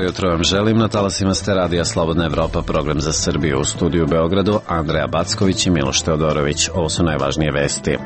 jutro vam želim. Na talasima ste Radija Slobodna Evropa, program za Srbiju. U studiju u Beogradu Andreja Backović i Miloš Teodorović. Ovo su najvažnije vesti.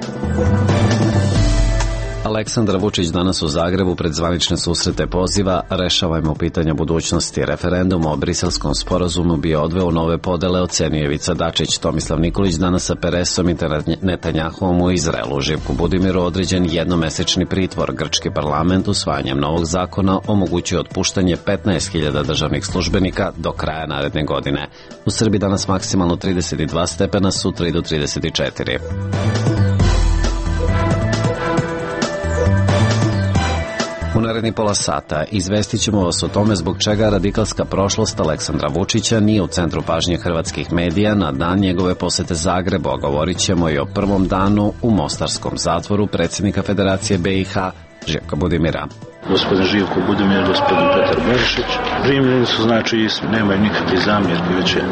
Aleksandar Vučić danas u Zagrebu pred zvanične susrete poziva rešavajmo pitanja budućnosti. Referendum o Briselskom sporazumu bi odveo nove podele, ocenio Ivica Dačić. Tomislav Nikolić danas sa Peresom i Netanjahuom u Izraelu. Živku Budimiru određen jednomesečni pritvor. Grčki parlament usvajanjem novog zakona omogućuje otpuštanje 15.000 državnih službenika do kraja naredne godine. U Srbiji danas maksimalno 32 stepena, sutra i do 34. U naredni pola sata izvestit ćemo vas o tome zbog čega radikalska prošlost Aleksandra Vučića nije u centru pažnje hrvatskih medija na dan njegove posete Zagrebu, a govorit ćemo i o prvom danu u mostarskom zatvoru predsjednika Federacije BiH Živka Budimira. Gospodin Živko Budimir, gospodin Petar Berišić. Primljeni su, znači, nemaju nikakve zamjerke, već je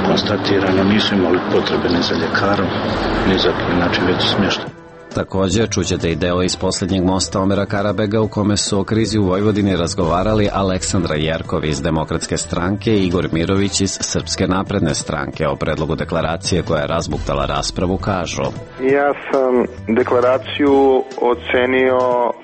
konstatirano, nisu imali potrebe ni za ljekarom, ni za već smještaj. Također čućete i deo iz posljednjeg mosta Omera Karabega u kome su o krizi u Vojvodini razgovarali Aleksandra Jerkov iz Demokratske stranke i Igor Mirović iz Srpske napredne stranke. O predlogu deklaracije koja je razbuktala raspravu kažu: Ja sam deklaraciju ocenio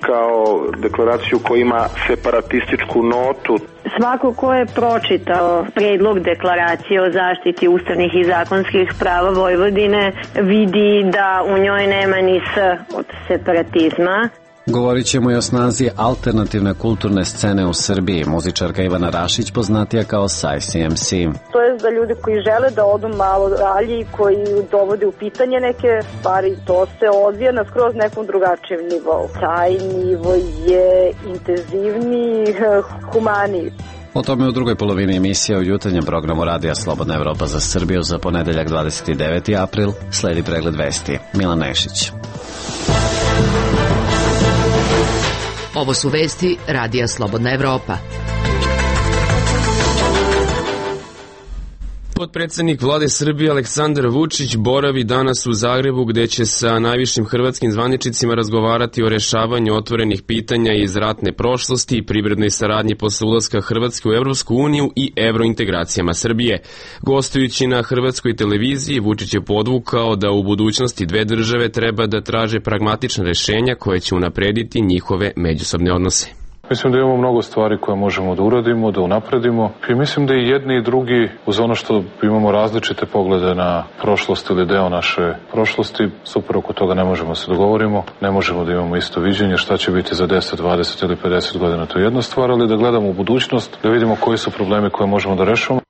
kao deklaraciju koja ima separatističku notu. Svako ko je pročitao predlog deklaracije o zaštiti ustavnih i zakonskih prava Vojvodine vidi da u njoj nema ni s od separatizma. Govorit ćemo i o snazi alternativne kulturne scene u Srbiji. Muzičarka Ivana Rašić, poznatija kao Saj CMC. To je za ljude koji žele da odu malo dalje i koji dovode u pitanje neke stvari. To se odvija na skroz nekom drugačijem nivou. Taj nivo je intenzivniji, humaniji. O tome u drugoj polovini emisije u jutarnjem programu Radija Slobodna Evropa za Srbiju za ponedeljak 29. april sledi pregled vesti. Milan Nešić. Ovo su vesti Radija Slobodna Evropa. Potpredsednik vlade Srbije Aleksandar Vučić boravi danas u Zagrebu gde će sa najvišim hrvatskim zvaničnicima razgovarati o rešavanju otvorenih pitanja iz ratne prošlosti i privrednoj saradnji posle ulaska Hrvatske u Evropsku uniju i evrointegracijama Srbije. Gostujući na hrvatskoj televiziji, Vučić je podvukao da u budućnosti dve države treba da traže pragmatična rešenja koje će unaprediti njihove međusobne odnose. Mislim da imamo mnogo stvari koje možemo da uradimo, da unapredimo i mislim da i jedni i drugi, uz ono što imamo različite poglede na prošlost ili deo naše prošlosti, super oko toga ne možemo se dogovorimo, ne možemo da imamo isto viđenje šta će biti za 10, 20 ili 50 godina, to je jedna stvar, ali da gledamo u budućnost, da vidimo koji su problemi koje možemo da rešimo.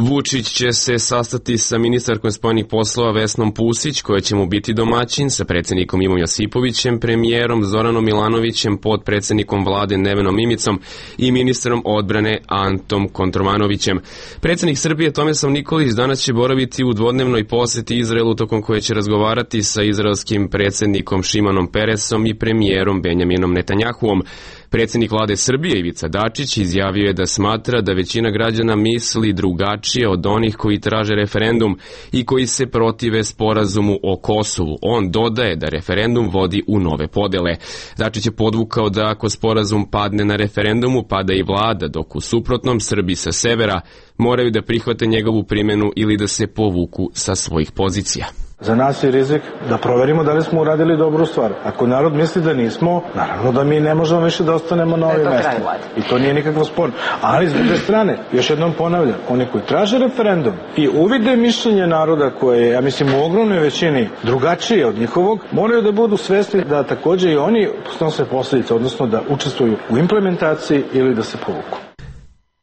Vučić će se sastati sa ministarkom spoljnih poslova Vesnom Pusić, koja će mu biti domaćin, sa predsjednikom Ivom Josipovićem, premijerom Zoranom Milanovićem, potpredsjednikom vlade Nevenom Mimicom i ministrom odbrane Antom Kontromanovićem. Predsjednik Srbije Tomislav Nikolić danas će boraviti u dvodnevnoj poseti Izraelu, tokom koje će razgovarati sa izraelskim predsjednikom Šimanom Peresom i premijerom Benjaminom Netanjahuom. Predsjednik vlade Srbije Ivica Dačić izjavio je da smatra da većina građana misli drugačije od onih koji traže referendum i koji se protive sporazumu o Kosovu. On dodaje da referendum vodi u nove podele. Dačić je podvukao da ako sporazum padne na referendumu, pada i vlada, dok u suprotnom Srbi sa severa moraju da prihvate njegovu primjenu ili da se povuku sa svojih pozicija. Za nas je rizik da proverimo da li smo uradili dobru stvar. Ako narod misli da nismo, naravno da mi ne možemo više da ostanemo na ovim mestima. I to nije nikakvo sporno. Ali s druge strane, još jednom ponavljam, oni koji traže referendum i uvide mišljenje naroda koje je, ja mislim, u ogromnoj većini drugačije od njihovog, moraju da budu svesni da takođe i oni snose posljedice, odnosno da učestvuju u implementaciji ili da se povuku.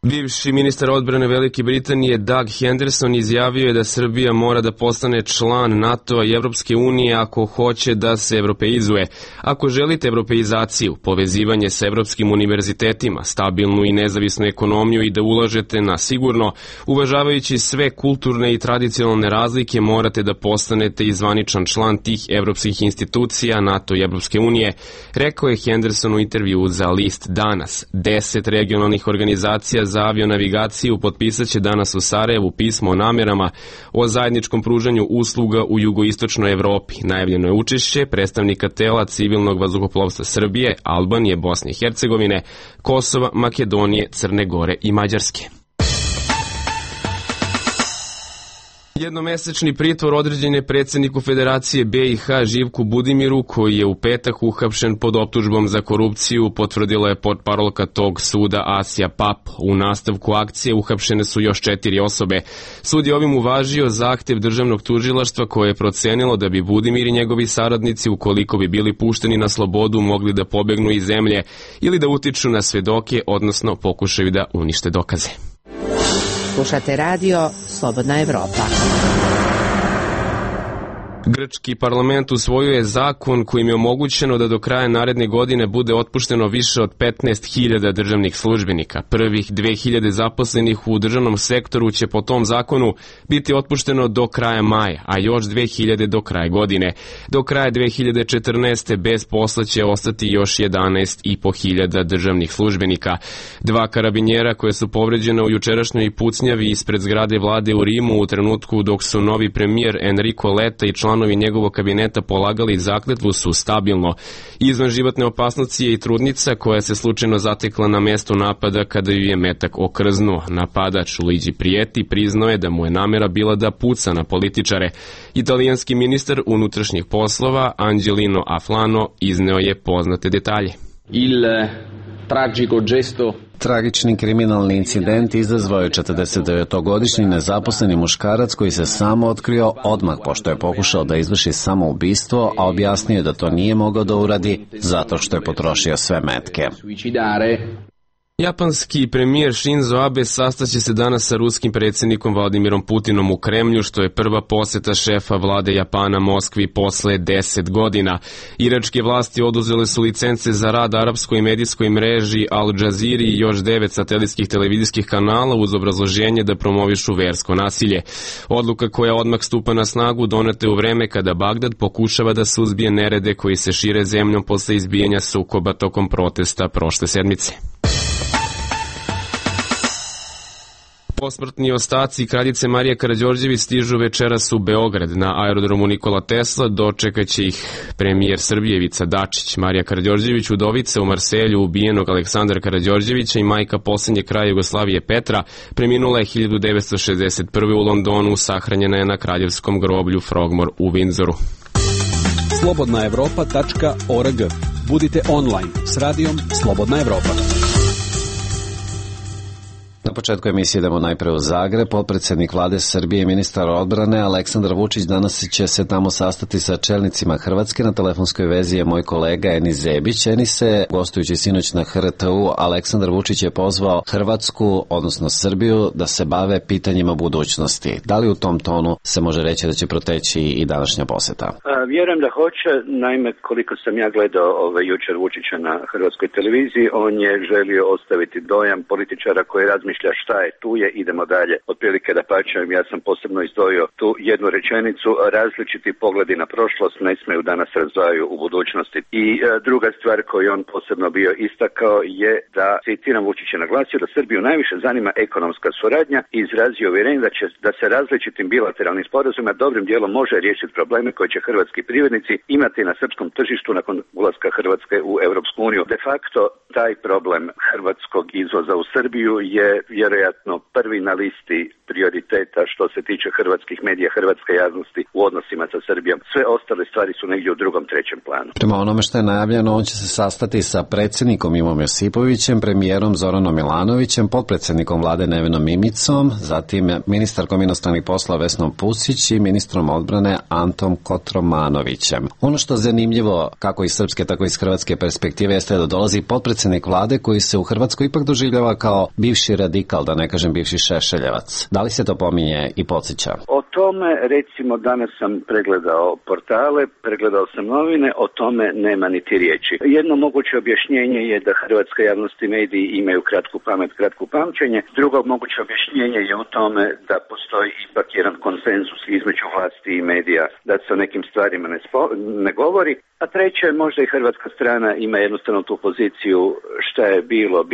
Bivši ministar odbrane Velike Britanije Doug Henderson izjavio je da Srbija mora da postane član NATO-a i Evropske unije ako hoće da se evropeizuje. Ako želite evropeizaciju, povezivanje sa evropskim univerzitetima, stabilnu i nezavisnu ekonomiju i da ulažete na sigurno, uvažavajući sve kulturne i tradicionalne razlike, morate da postanete i zvaničan član tih evropskih institucija, NATO i Evropske unije, rekao je Henderson u intervju za list Danas. 10 regionalnih organizacija za za avionavigaciju potpisat će danas u Sarajevu pismo o namjerama o zajedničkom pružanju usluga u jugoistočnoj Evropi. Najavljeno je učešće predstavnika tela civilnog vazduhoplovstva Srbije, Albanije, Bosne i Hercegovine, Kosova, Makedonije, Crne Gore i Mađarske. Jednomesečni pritvor određen je predsjedniku Federacije BiH Živku Budimiru, koji je u petak uhapšen pod optužbom za korupciju, potvrdila je portparolka tog suda Asija Pap. U nastavku akcije uhapšene su još 4 osobe. Sud je ovim uvažio zahtev državnog tužilaštva koje je procenilo da bi Budimir i njegovi saradnici, ukoliko bi bili pušteni na slobodu, mogli da pobegnu iz zemlje ili da utiču na svedoke, odnosno pokušaju da unište dokaze. Slušate radio Slobodna Evropa. Grčki parlament usvojio je zakon kojim je omogućeno da do kraja naredne godine bude otpušteno više od 15.000 državnih službenika. Prvih 2.000 zaposlenih u državnom sektoru će po tom zakonu biti otpušteno do kraja maja, a još 2.000 do kraja godine. Do kraja 2014. bez posla će ostati još 11.500 državnih službenika. 2 karabinjera koje su povređena u jučerašnjoj pucnjavi ispred zgrade vlade u Rimu u trenutku dok su novi premijer Enrico Letta i članovi njegovog kabineta polagali zakletvu su stabilno. Izvan životne opasnosti je i trudnica koja se slučajno zatekla na mjestu napada kada ju je metak okrznuo. Napadač Luigi Prijeti priznao je da mu je namjera bila da puca na političare. Italijanski ministar unutrašnjih poslova Angelino Aflano izneo je poznate detalje. Il tragico gesto. Tragični kriminalni incident izazvao je 49-godišnji nezaposleni muškarac koji se samo otkrio odmah pošto je pokušao da izvrši samoubistvo, a objasnio je da to nije mogao da uradi zato što je potrošio sve metke. Japanski premijer Shinzo Abe sastaće se danas sa ruskim predsjednikom Vladimirom Putinom u Kremlju, što je prva posjeta šefa vlade Japana Moskvi posle 10 godina. Iračke vlasti oduzele su licence za rad arapskoj medijskoj mreži Al Jazeera i još 9 satelitskih televizijskih kanala uz obrazloženje da promovišu versko nasilje. Odluka koja odmah stupa na snagu donete u vreme kada Bagdad pokušava da suzbije nerede koji se šire zemljom posle izbijanja sukoba tokom protesta prošle sedmice. Posmrtni ostaci kraljice Marije Karađorđević stižu večeras u Beograd. Na aerodromu Nikola Tesla dočekat će ih premijer Srbije Ivica Dačić. Marija Karađorđević, udovica u Marselju ubijenog Aleksandra Karađorđevića i majka posljednje kraja Jugoslavije Petra, preminula je 1961. u Londonu, sahranjena je na kraljevskom groblju Frogmore u Windsoru. slobodnaevropa.org. Budite online s radijom Slobodna Evropa. Na početku emisije idemo najpre u Zagreb. Potpredsjednik vlade Srbije i ministar odbrane Aleksandar Vučić danas će se tamo sastati sa čelnicima Hrvatske. Na telefonskoj vezi je moj kolega Enis Zebić. Enise, gostujući sinoć na HRTU, Aleksandar Vučić je pozvao Hrvatsku, odnosno Srbiju, da se bave pitanjima budućnosti. Da li u tom tonu se može reći da će proteći i današnja posjeta? Vjerujem da hoće. Naime, koliko sam ja gledao jučer Vučića na hrvatskoj televiziji, on je želio ostaviti dojam političara koji razmišlja šta je, tu je, idemo dalje. Otprilike da pačem, ja sam posebno izdvojio tu jednu rečenicu, različiti pogledi na prošlost ne smeju da nas razdvajaju u budućnosti. I druga stvar koju on posebno bio istakao je da, citiram, Vučić je naglasio da Srbiju najviše zanima ekonomska suradnja i izrazio uvjerenje da se različitim bilateralnim sporazumima dobrim dijelom može riješiti probleme koje će hrvatski privrednici imati na srpskom tržištu nakon ulaska Hrvatske u Europsku uniju. De facto, taj problem hrvatskog izvoza u Srbiju je vjerojatno prvi na listi prioriteta što se tiče hrvatskih medija, hrvatske javnosti u odnosima sa Srbijom. Sve ostale stvari su negdje u drugom, trećem planu. Prema onome što je najavljeno, on će se sastati sa predsjednikom Ivom Josipovićem, premijerom Zoranom Milanovićem, potpredsjednikom vlade Nevenom Mimicom, zatim ministarkom inostranih poslova Vesnom Pusić i ministrom odbrane Antom Kotromanovićem. Ono što je zanimljivo, kako iz srpske, tako i iz hrvatske perspektive, jeste da dolazi potpredsjednik vlade koji se u Hrvatskoj ipak doživljava kao bivši radikal, da ne kažem bivši šešeljevac. Da li se to pominje i podsjeća? O tome, recimo, danas sam pregledao portale, pregledao sam novine, o tome nema niti riječi. Jedno moguće objašnjenje je da hrvatska javnost i mediji imaju kratku pamet, kratko pamćenje. Drugo moguće objašnjenje je u tome da postoji ipak jedan konsenzus između vlasti i medija, da se o nekim stvarima ne govori. A treće, možda i hrvatska strana ima jednostavno tu poziciju šta je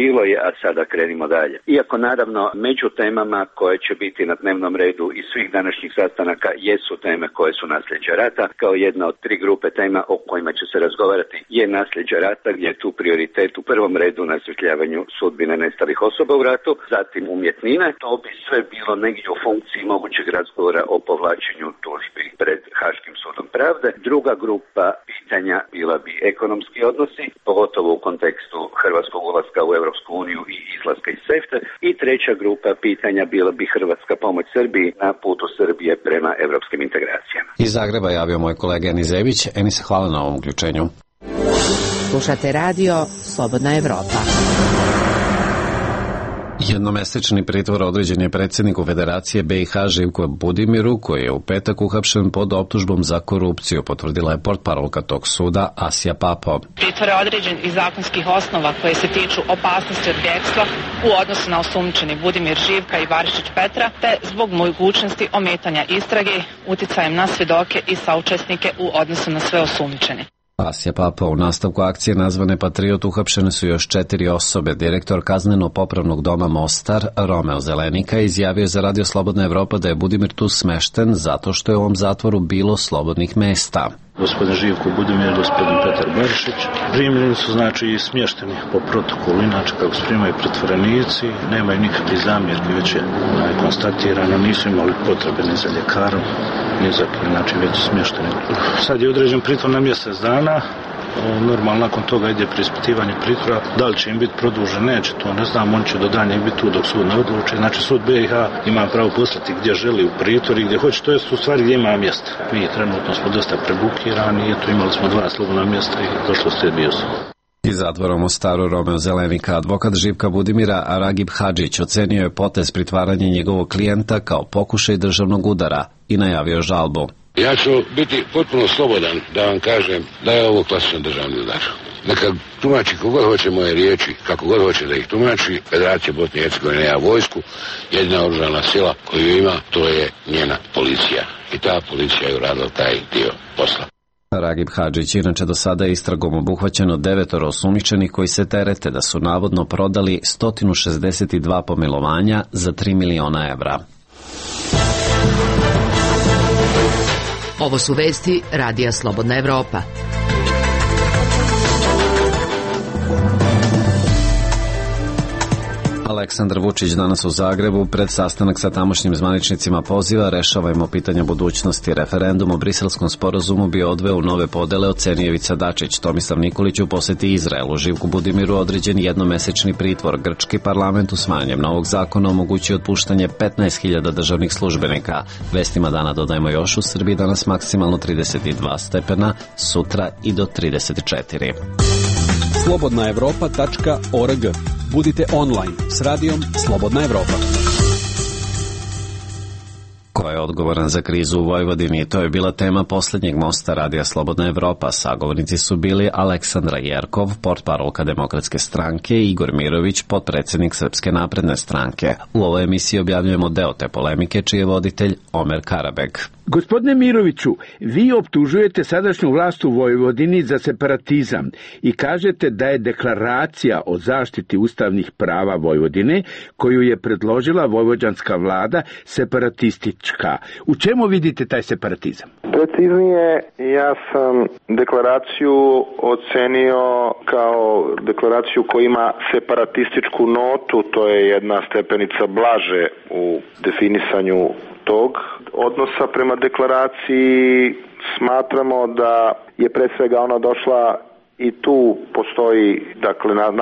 bilo je, a sada krenimo dalje. Iako naravno među temama koje će biti na dnevnom redu i svih današnjih sastanaka jesu teme koje su nasljeđe rata, kao jedna od 3 grupe tema o kojima će se razgovarati je nasljeđe rata, gdje je tu prioritet u prvom redu na osvjetljavanju sudbine nestalih osoba u ratu, zatim umjetnine. To bi sve bilo negdje u funkciji mogućeg razgovora o povlačenju tužbi pred Haškim sudom pravde. Druga grupa pitanja bila bi ekonomski odnosi, pogotovo u kontekstu hrvatskog ulaska u Europsku uniju i izlaska iz SEFTA. I treća grupa pitanja bila bi hrvatska pomoć Srbiji na putu Srbije prema europskim integracijama. Iz Zagreba javio moj kolega Enis Zević. Enis, hvala na ovom uključenju. Slušate radio Slobodna Evropa. Jednomesečni pritvor određen je predsjedniku Federacije BiH Živku Budimiru, koji je u petak uhapšen pod optužbom za korupciju, potvrdila je portparolka tog suda Asija Papo. Pritvor je određen iz zakonskih osnova koje se tiču opasnosti od bjegstva u odnosu na osumnjičeni Budimir Živka i Barišić Petra, te zbog mogućnosti ometanja istrage uticajem na svjedoke i saučesnike u odnosu na sve osumnjičene. Asija Papa u nastavku akcije nazvane Patriot uhapšene su još 4 osobe. Direktor kazneno-popravnog doma Mostar, Romeo Zelenika, izjavio za Radio Slobodna Evropa da je Budimir tu smešten zato što je u ovom zatvoru bilo slobodnih mesta. Gospodin Živko Budimir i gospodin Petar Barišić primljeni su znači smješteni po protokolu, inače kako se primaju pritvorenici, nemaju nikakve zamjerke, već je konstatirano, nisu imali potrebe ni za ljekarom, ni za kim, znači već su smješteni. Sad je određen pritvor na mjesec dana. Normalno nakon toga ide preispitivanje pritvora, da li će im biti produžen, neće, to ne znam, on će do daljnjeg biti tu dok sud ne odluči. Znači sud BiH ima pravo poslati gdje želi u pritvor i gdje hoće, to je u stvari gdje ima mjesta. Mi trenutno smo dosta prebukirani, eto imali smo 2 slobodna mjesta i došlo se bio su. Iz zatvora u Mostaru Romeo Zelenika advokat Živka Budimira Ragib Hadžić ocenio je potez pritvaranja njegovog klijenta kao pokušaj državnog udara i najavio žalbu. Ja ću biti potpuno slobodan da vam kažem da je ovo klasičan državni udar. Neka tumači kogod hoće moje riječi, kako god hoće da ih tumači. Federacija Bosne i Hercegovine nema vojsku, jedina oružana sila koju ima, to je njena policija. I ta policija je uradila taj dio posla. Ragib Hadžić inače do sada je istragom obuhvaćeno 9 osumnjičenih koji se terete da su navodno prodali 162 pomilovanja za 3 miliona evra. Ovo su vesti Radija Slobodna Evropa. Aleksandar Vučić danas u Zagrebu pred sastanak sa tamošnjim zvaničnicima poziva rešavajmo pitanja budućnosti. Referendum o Briselskom sporazumu bi odveo u nove podele, ocenio Ivica Dačić. Tomislav Nikolić u posjeti Izraelu. Živku Budimiru određen jednomesečni pritvor. Grčki parlament usvajanjem novog zakona omogućuje otpuštanje 15.000 državnih službenika. Vestima dana dodajemo još u Srbiji danas maksimalno 32 stepena, sutra i do 34. slobodnaevropa.org. Budite online s radijom Slobodna Evropa. Ko je odgovoran za krizu u Vojvodini? To je bila tema posljednjeg mosta Radija Slobodna Evropa. Sagovornici su bili Aleksandra Jerkov, portparolka Demokratske stranke, i Igor Mirović, potpredsjednik Srpske napredne stranke. U ovoj emisiji objavljujemo deo te polemike, čiji je voditelj Omer Karabeg. Gospodine Miroviću, vi optužujete sadašnju vlast u Vojvodini za separatizam i kažete da je deklaracija o zaštiti ustavnih prava Vojvodine, koju je predložila vojvođanska vlada, separatistička. U čemu vidite taj separatizam? Preciznije, ja sam deklaraciju ocenio kao deklaraciju koja ima separatističku notu, to je jedna stepenica blaže u definisanju tog odnosa prema deklaraciji. Smatramo da je pre svega ona došla i tu postoji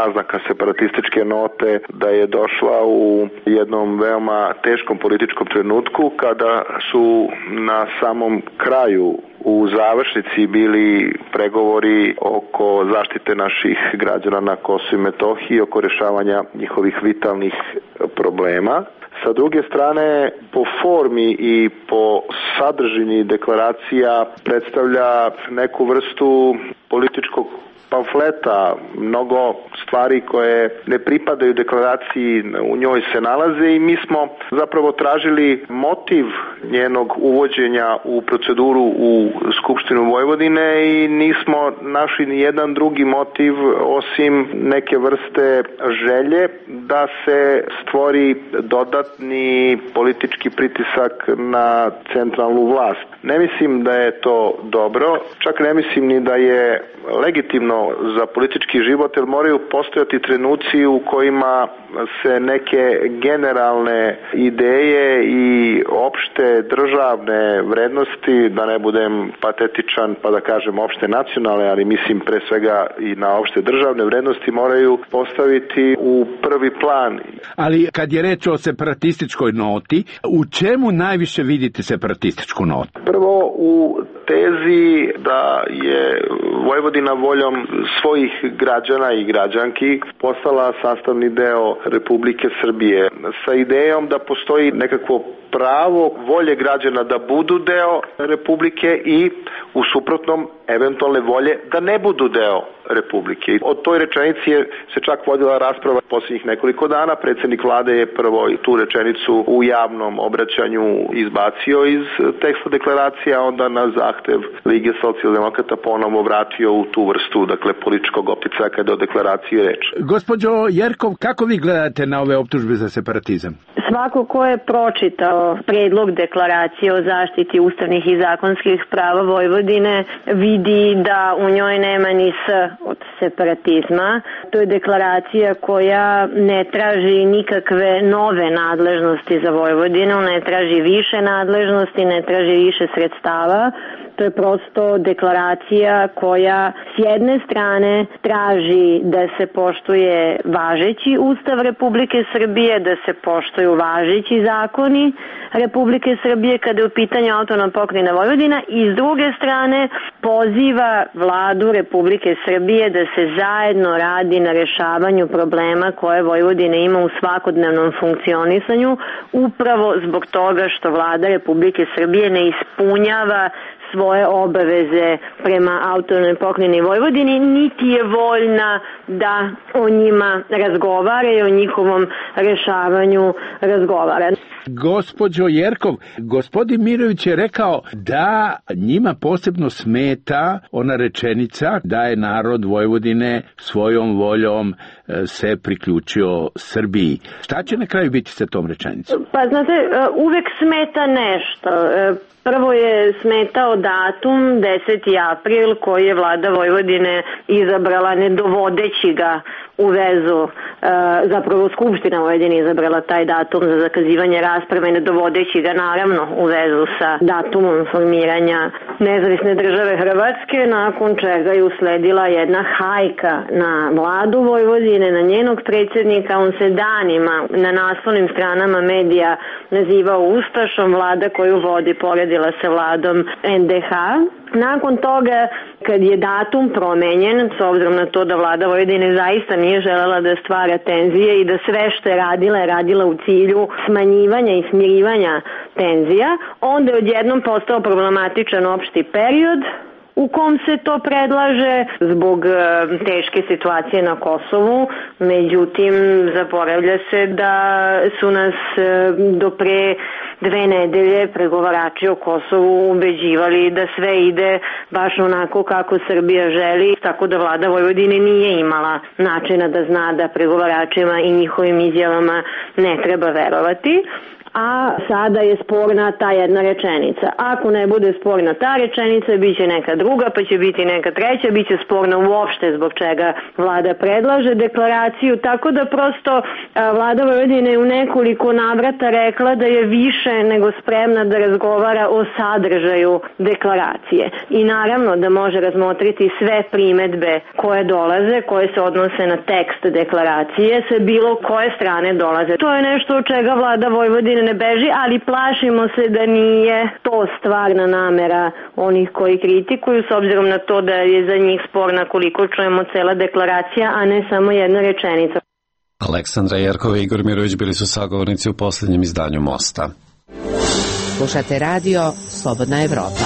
naznaka separatističke note, da je došla u jednom veoma teškom političkom trenutku kada su na samom kraju u završnici bili pregovori oko zaštite naših građana na Kosovu i Metohiji, oko rešavanja njihovih vitalnih problema. Sa druge strane, po formi i po sadržini deklaracija predstavlja neku vrstu političkog pamfleta, mnogo stvari koje ne pripadaju deklaraciji u njoj se nalaze i mi smo zapravo tražili motiv njenog uvođenja u proceduru u Skupštinu Vojvodine i nismo našli ni jedan drugi motiv osim neke vrste želje da se stvori dodatni politički pritisak na centralnu vlast. Ne mislim da je to dobro, čak ne mislim ni da je legitimno za politički život, jer moraju postojati trenuci u kojima se neke generalne ideje i opšte državne vrednosti, da ne budem patetičan pa da kažem opšte nacionalne, ali mislim pre svega i na opšte državne vrednosti, moraju postaviti u prvi plan. Ali kad je reč o separatističkoj noti, u čemu najviše vidite separatističku notu? Prvo u tezi da je Vojvodina voljom svojih građana i građanki postala sastavni deo Republike Srbije sa idejom da postoji nekakvo pravo volje građana da budu deo Republike i u suprotnom eventualne volje da ne budu deo Republike. O toj rečenici se čak vodila rasprava posljednjih nekoliko dana. Predsjednik vlade je prvo tu rečenicu u javnom obraćanju izbacio iz teksta deklaracije, a onda na zahtev Lige socijaldemokrata ponovo vratio u tu vrstu, dakle, političkog opticaja kada je o deklaraciji reč. Gospođo Jerkov, kako vi gledate na ove optužbe za separatizam? Svako ko je pročitao predlog deklaracije o zaštiti ustavnih i zakonskih prava Vojvodine vidi da u njoj nema ni s od separatizma. To je deklaracija koja ne traži nikakve nove nadležnosti za Vojvodinu, ne traži više nadležnosti, ne traži više sredstava. To je prosto deklaracija koja s jedne strane traži da se poštuje važeći Ustav Republike Srbije, da se poštuju važeći zakoni Republike Srbije kada je u pitanju autonomna pokrajina Vojvodina i s druge strane poziva vladu Republike Srbije da se zajedno radi na rešavanju problema koje Vojvodina ima u svakodnevnom funkcionisanju upravo zbog toga što vlada Republike Srbije ne ispunjava svoje obaveze prema autonomnoj pokrajini Vojvodini, niti je voljna da o njima razgovara i o njihovom rešavanju razgovara. Gospođo Jerkov, gospodin Mirović je rekao da njima posebno smeta ona rečenica da je narod Vojvodine svojom voljom se priključio Srbiji. Šta će na kraju biti sa tom rečenicom? Pa znate, uvek smeta nešto. Prvo je smetao datum 10. april koji je vlada Vojvodine izabrala ne dovodeći ga u vezu, zapravo Skupština Vojvodine izabrala taj datum za zakazivanje rasprave ne dovodeći ga naravno u vezu sa datumom formiranja nezavisne države Hrvatske, nakon čega je usledila jedna hajka na vladu Vojvodine, na njenog predsjednika. On se danima na naslovnim stranama medija nazivao ustašom, vlada koju vodi poredila se vladom NDH. Nakon toga, kad je datum promenjen, s obzirom na to da vlada Vojvodine zaista nije želela da stvara tenzije i da sve što je radila u cilju smanjivanja i smirivanja tenzija, onda je odjednom postao problematičan opšti period u kom se to predlaže zbog teške situacije na Kosovu. Međutim, zaboravlja se da su nas do pre 2 nedelje pregovarači o Kosovu ubeđivali da sve ide baš onako kako Srbija želi, tako da vlada Vojvodine nije imala načina da zna da pregovaračima i njihovim izjavama ne treba verovati. A sada je sporna ta jedna rečenica. Ako ne bude sporna ta rečenica, bit će neka druga, pa će biti neka treća, bit će sporna uopšte zbog čega vlada predlaže deklaraciju, tako da prosto vlada Vojvodine je u nekoliko navrata rekla da je više nego spremna da razgovara o sadržaju deklaracije. I naravno da može razmotriti sve primedbe koje dolaze, koje se odnose na tekst deklaracije, sa bilo koje strane dolaze. To je nešto od čega vlada Vojvodine ne beži, ali plašimo se da nije to stvarna namera onih koji kritikuju, s obzirom na to da je za njih sporna, koliko čujemo, cela deklaracija, a ne samo jedna rečenica. Aleksandra Jerkova i Igor Mirović bili su sagovornici u posljednjem izdanju Mosta. Slušate radio Slobodna Evropa.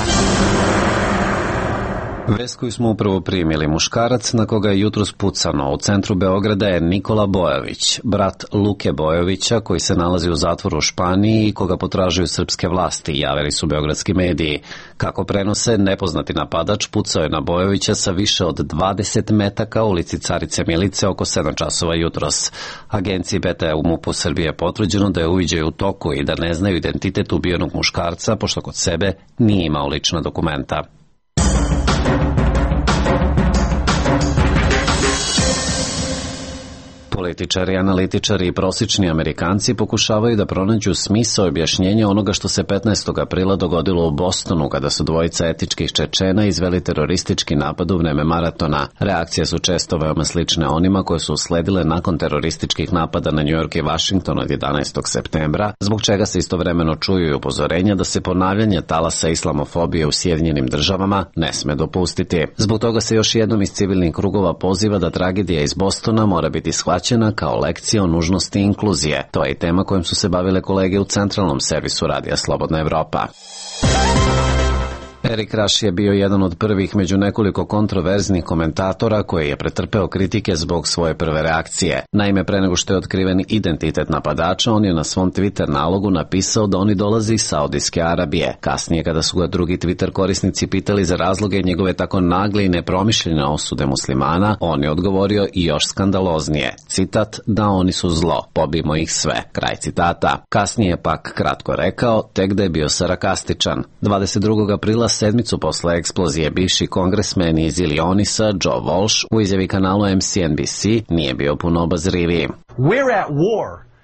Vest koju smo upravo primili, muškarac na koga je jutros pucano u centru Beograda je Nikola Bojović, brat Luke Bojovića koji se nalazi u zatvoru u Španiji i koga potražuju srpske vlasti, javili su beogradski mediji. Kako prenose, nepoznati napadač pucao je na Bojovića sa više od 20 metaka u ulici Carice Milice oko 7 časova jutros. Agenciji BTA u MUP-u Srbije je potvrđeno da je uviđaj u toku i da ne znaju identitet ubijenog muškarca, pošto kod sebe nije imao lična dokumenta. Političari, analitičari i prosječni Amerikanci pokušavaju da pronađu smisao i objašnjenje onoga što se 15. aprila dogodilo u Bostonu kada su dvojica etičkih Čečena izveli teroristički napad u vreme maratona. Reakcije su često veoma slične onima koje su usledile nakon terorističkih napada na New York i Washington od 11. septembra, zbog čega se istovremeno čuju i upozorenja da se ponavljanje talasa islamofobije u Sjedinjenim Državama ne sme dopustiti. Zbog toga se još jednom iz civilnih krugova poziva da tragedija iz Bostona mora biti shvaćena kao lekcija o nužnosti inkluzije. To je i tema kojom su se bavile kolege u centralnom servisu Radija Slobodna Evropa. Erik Raš je bio jedan od prvih među nekoliko kontroverznih komentatora koji je pretrpeo kritike zbog svoje prve reakcije. Naime, pre nego što je otkriven identitet napadača, on je na svom Twitter nalogu napisao da oni dolaze iz Saudijske Arabije. Kasnije, kada su ga drugi Twitter korisnici pitali za razloge njegove tako nagle i nepromišljene osude muslimana, on je odgovorio i još skandaloznije. Citat, da oni su zlo, pobijmo ih sve. Kraj citata. Kasnije je pak kratko rekao, tek da je bio sarkastičan. 22. aprila, sedmicu posle eksplozije, bivši kongresmen iz Illinoisa Joe Walsh u izjavi kanalu MSNBC nije bio puno obazriviji.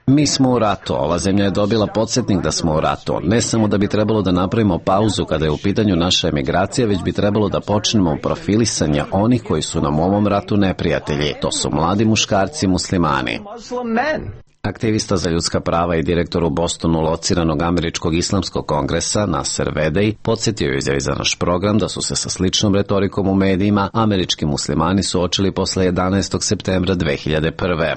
Mi smo u ratu, ova zemlja je dobila podsjetnik da smo u ratu. Ne samo da bi trebalo da napravimo pauzu kada je u pitanju naša emigracija, već bi trebalo da počnemo profilisanje onih koji su nam u ovom ratu neprijatelji. To su mladi muškarci muslimani. Aktivista za ljudska prava i direktor u Bostonu lociranog Američkog islamskog kongresa Nasser Vedej podsjetio je izjavi za naš program da su se sa sličnom retorikom u medijima američki muslimani suočili posle 11. septembra 2001.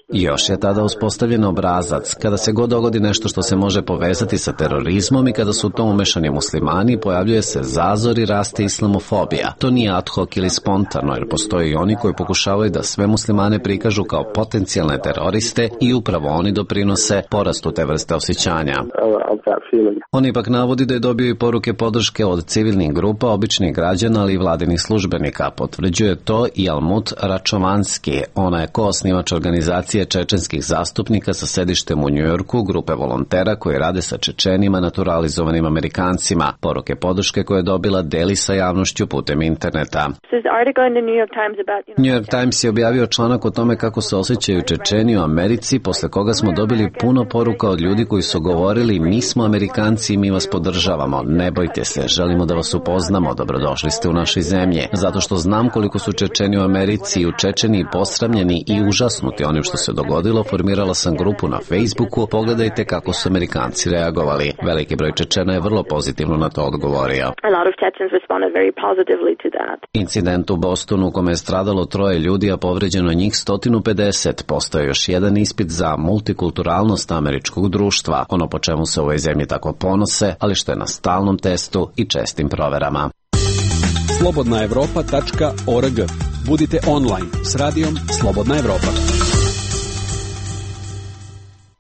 Još je tada uspostavljen obrazac. Kada se god dogodi nešto što se može povezati sa terorizmom i kada su u tom umešani muslimani, pojavljuje se zazor i raste islamofobija. To nije ad hoc ili spontano, jer postoje i oni koji pokušavaju da sve muslimane prikažu kao potencijalne teroriste i upravo oni doprinose porastu te vrste osjećanja. On ipak navodi da je dobio i poruke podrške od civilnih grupa, običnih građana, ali i vladinih službenika. Potvrđuje to i Almut Račovanski. Ona je koosnivač organizacije čečenskih zastupnika sa sedištem u Njujorku, grupe volontera koji rade sa Čečenima naturalizovanim Amerikancima. Poruke podrške koje je dobila deli sa javnošću putem interneta. New York Times je objavio članak o tome kako se osjećaju Čečeni u Americi, posle koga smo dobili puno poruka od ljudi koji su govorili mi smo Amerikanci i mi vas podržavamo, ne bojte se, želimo da vas upoznamo, dobrodošli ste u našoj zemlji. Zato što znam koliko su Čečeni u Americi i u Čečeniji posramljeni i užasnuti onim što se dogodilo, formirala sam grupu na Facebooku, pogledajte kako su Amerikanci reagovali. Veliki broj Čečena je vrlo pozitivno na to odgovorio. Incident u Bostonu u kome je stradalo 3 ljudi, a povređeno njih 150, postoje još jedan ispit za multikulturalnost američkog društva, ono po čemu se u ovoj zemlji tako ponose, ali što je na stalnom testu i čestim proverama. slobodnaevropa.org. Budite online s radijom Slobodna Evropa.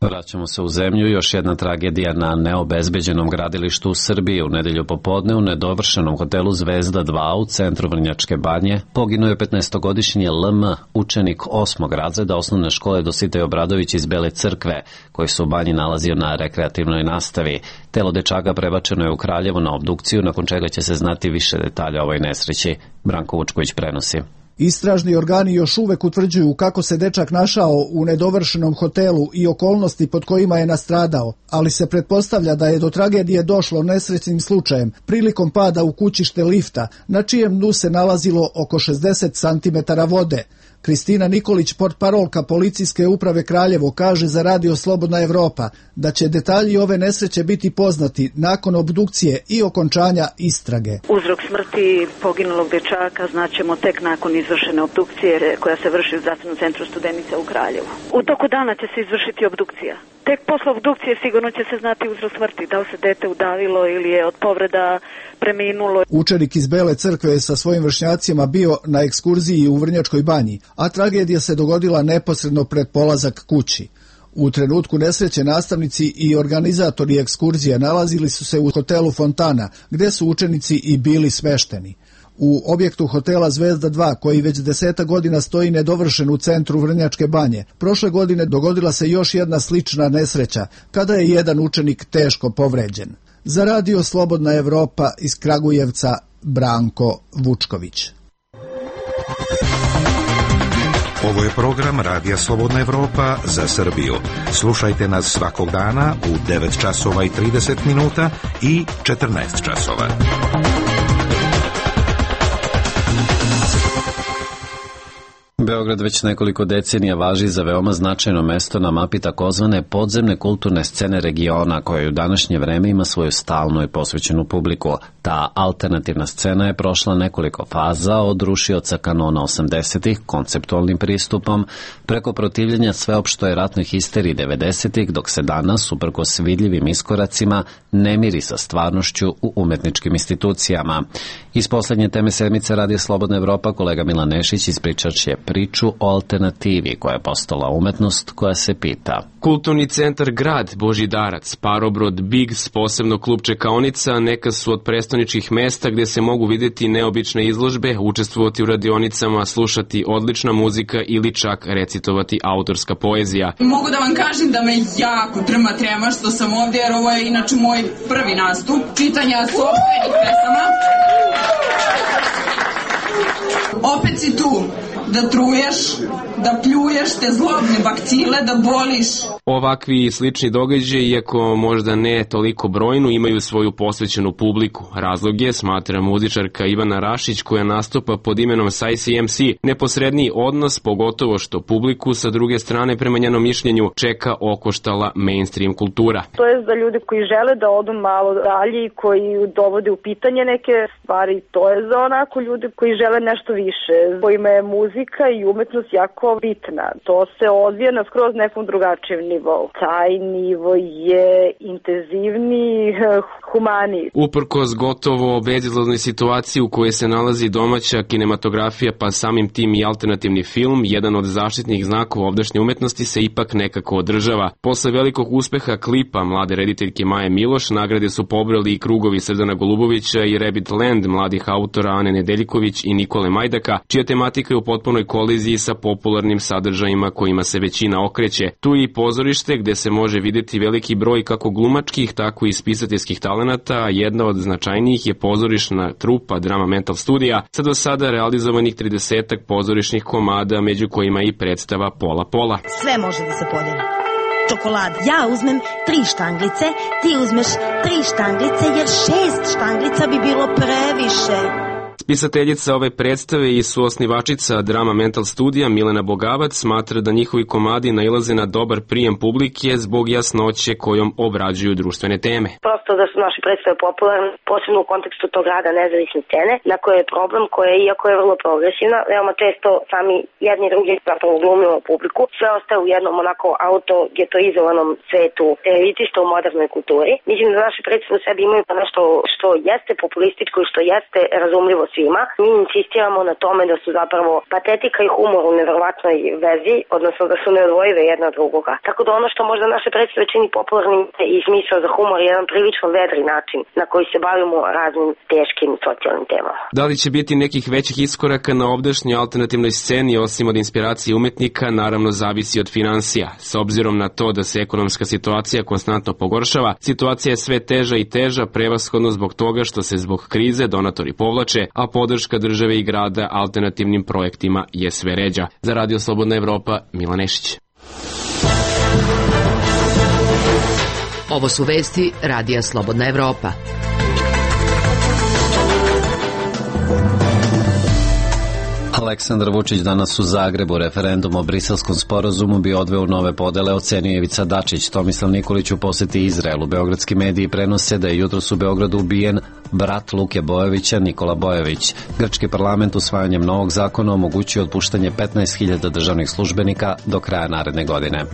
Vraćamo se u zemlju. Još jedna tragedija na neobezbeđenom gradilištu u Srbiji. U nedelju popodne u nedovršenom hotelu Zvezda 2 u centru Vrnjačke Banje poginuo je 15-godišnji LM, učenik 8. razreda osnovne škole Dositej Obradović iz Bele Crkve, koji se u banji nalazio na rekreativnoj nastavi. Telo dečaka prebačeno je u Kraljevo na obdukciju, nakon čega će se znati više detalja o ovoj nesreći. Branko Vučković prenosi. Istražni organi još uvek utvrđuju kako se dečak našao u nedovršenom hotelu i okolnosti pod kojima je nastradao, ali se pretpostavlja da je do tragedije došlo nesrećnim slučajem prilikom pada u kućište lifta, na čijem dnu se nalazilo oko 60 cm vode. Kristina Nikolić, portparolka policijske uprave Kraljevo, kaže za Radio Slobodna Evropa da će detalji ove nesreće biti poznati nakon obdukcije i okončanja istrage. Uzrok smrti poginulog dečaka znaćemo tek nakon izvršene obdukcije koja se vrši u Zdravstvenom centru Studenica u Kraljevu. U toku dana će se izvršiti obdukcija. Tek posle obdukcije sigurno će se znati uzrok smrti, da li se dete udavilo ili je od povreda preminulo. Učenik iz Bele Crkve je sa svojim vršnjacima bio na ekskurziji u Vrnjačkoj Banji, a tragedija se dogodila neposredno pred polazak kući. U trenutku nesreće nastavnici i organizatori ekskurzije nalazili su se u hotelu Fontana, gde su učenici i bili smešteni. U objektu hotela Zvezda 2, koji već 10 godina stoji nedovršen u centru Vrnjačke Banje, prošle godine dogodila se još jedna slična nesreća, kada je jedan učenik teško povređen. Za Radio Slobodna Evropa iz Kragujevca, Branko Vučković. Ovo je program Radija Slobodna Evropa za Srbiju. Slušajte nas svakog dana u 9 časova i 30 minuta i 14 časova. Beograd već nekoliko decenija važi za veoma značajno mesto na mapi takozvane podzemne kulturne scene regiona, koja u današnje vreme ima svoju stalnu i posvećenu publiku. Ta alternativna scena je prošla nekoliko faza, od rušioca kanona 80-ih konceptualnim pristupom, preko protivljenja sveopštoj ratnoj histeriji 90-ih, dok se danas, uprkos vidljivim iskoracima, ne miri sa stvarnošću u umetničkim institucijama. Iz poslednje teme sedmice Radija Slobodna Evropa kolega Milan Nešić ispričat će priču o alternativi koja je postala umetnost koja se pita. Kulturni centar Grad, Božidarac, Parobrod, Bigs, posebno klub Čekaonica, neka su od prestoničkih mesta gde se mogu videti neobične izložbe, učestvovati u radionicama, slušati odlična muzika ili čak recitovati autorska poezija. Mogu da vam kažem da me jako trema što sam ovdje, jer ovo je inače moj prvi nastup čitanja sopstvenih pesama. Opet si tu da truješ, da pljuješ te zlobne bakcile, da boliš. Ovakvi i slični događaji, iako možda ne toliko brojnu, imaju svoju posvećenu publiku. Razlog je, smatra muzičarka Ivana Rašić, koja nastupa pod imenom SciCMC, neposredniji odnos, pogotovo što publiku sa druge strane, prema njenom mišljenju, čeka okoštala mainstream kultura. To je za ljude koji žele da odu malo dalje i koji dovode u pitanje neke stvari. To je za onako ljude koji žele nešto više, kojima je muzika i umetnost jako bitna. To se odvija na skroz nekom drugačijem nivou. Taj nivo je intenzivniji, humaniji. Uprkos gotovo bezizlaznoj situaciji u kojoj se nalazi domaća kinematografija, pa samim tim i alternativni film, jedan od zaštitnih znakova ovdašnje umetnosti se ipak nekako održava. Posle velikog uspeha klipa mlade rediteljke Maje Miloš, nagrade su pobrali i krugovi Srdana Golubovića i Rabbit Land mladih autora Ane Nedeljković i Nikole Majdaka, čija tematika je u potpunoj koliziji sa popularnim sadržajima kojima se većina okreće. Tu je i pozorište gde se može videti veliki broj kako glumačkih, tako i spisateljskih talenata, a jedna od značajnijih je pozorišna trupa Drama Mental Studija sa do sada realizovanih 30 pozorišnih komada, među kojima i predstava Pola Pola. Sve može da se podeli. Čokolad. Ja uzmem 3 štanglice, ti uzmeš 3 štanglice, jer 6 štanglica bi bilo previše. Spisateljica ove predstave i suosnivačica Drama Mental Studija Milena Bogavac smatra da njihovi komadi nailaze na dobar prijem publike zbog jasnoće kojom obrađuju društvene teme. Prosto da su naše predstave popularne, posebno u kontekstu tog rada nezavisne scene, na koje je problem koja je, iako je vrlo progresivna, veoma često sami jedni i drugi zapravo glumimo publiku, sve ostaje u jednom onako autogetoizovanom svetu elitista u modernoj kulturi. Mislim da naše predstave u sebi imaju nešto što jeste populističko i što jeste razumljivo svima. Mi insistiramo na tome da su zapravo patetika i humor u neverovatnoj vezi, odnosno da su neodvojive jedna od drugoga. Tako da ono što možda naše predstave čini popularnim i smisao za humor je jedan prilično vedri način na koji se bavimo raznim teškim socijalnim temama. Da li će biti nekih većih iskoraka na ovdašnjoj alternativnoj sceni osim od inspiracije umetnika, naravno zavisi od finansija. S obzirom na to da se ekonomska situacija konstantno pogoršava, situacija je sve teža i teža, prevashodno zbog toga što se zbog krize donatori povlače, a podrška države i grada alternativnim projektima je sve ređa. Za Radio Slobodna Evropa, Milan Nešić. Ovo su vesti Radija Slobodna Evropa. Aleksandar Vučić danas u Zagrebu. Referendum o Briselskom sporazumu bi odveo nove podele, ocenio Ivica Dačić. Tomislav Nikolić u poseti Izraelu. Beogradski mediji prenose da je jutros u Beogradu ubijen brat Luke Bojovića, Nikola Bojović. Grčki parlament usvajanjem novog zakona omogućuje otpuštanje 15.000 državnih službenika do kraja naredne godine.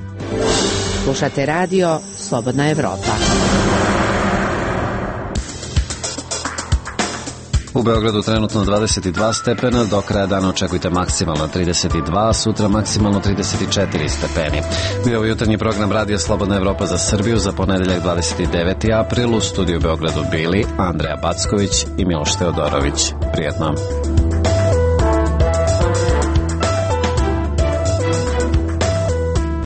Slušate radio Slobodna Evropa. U Beogradu trenutno 22 stepena, do kraja dana očekujte maksimalno 32, sutra maksimalno 34 stepeni. Bio je jutarnji program Radija Slobodna Evropa za Srbiju za ponedeljak 29. april. U studiju u Beogradu bili Andreja Backović i Miloš Teodorović. Prijetno.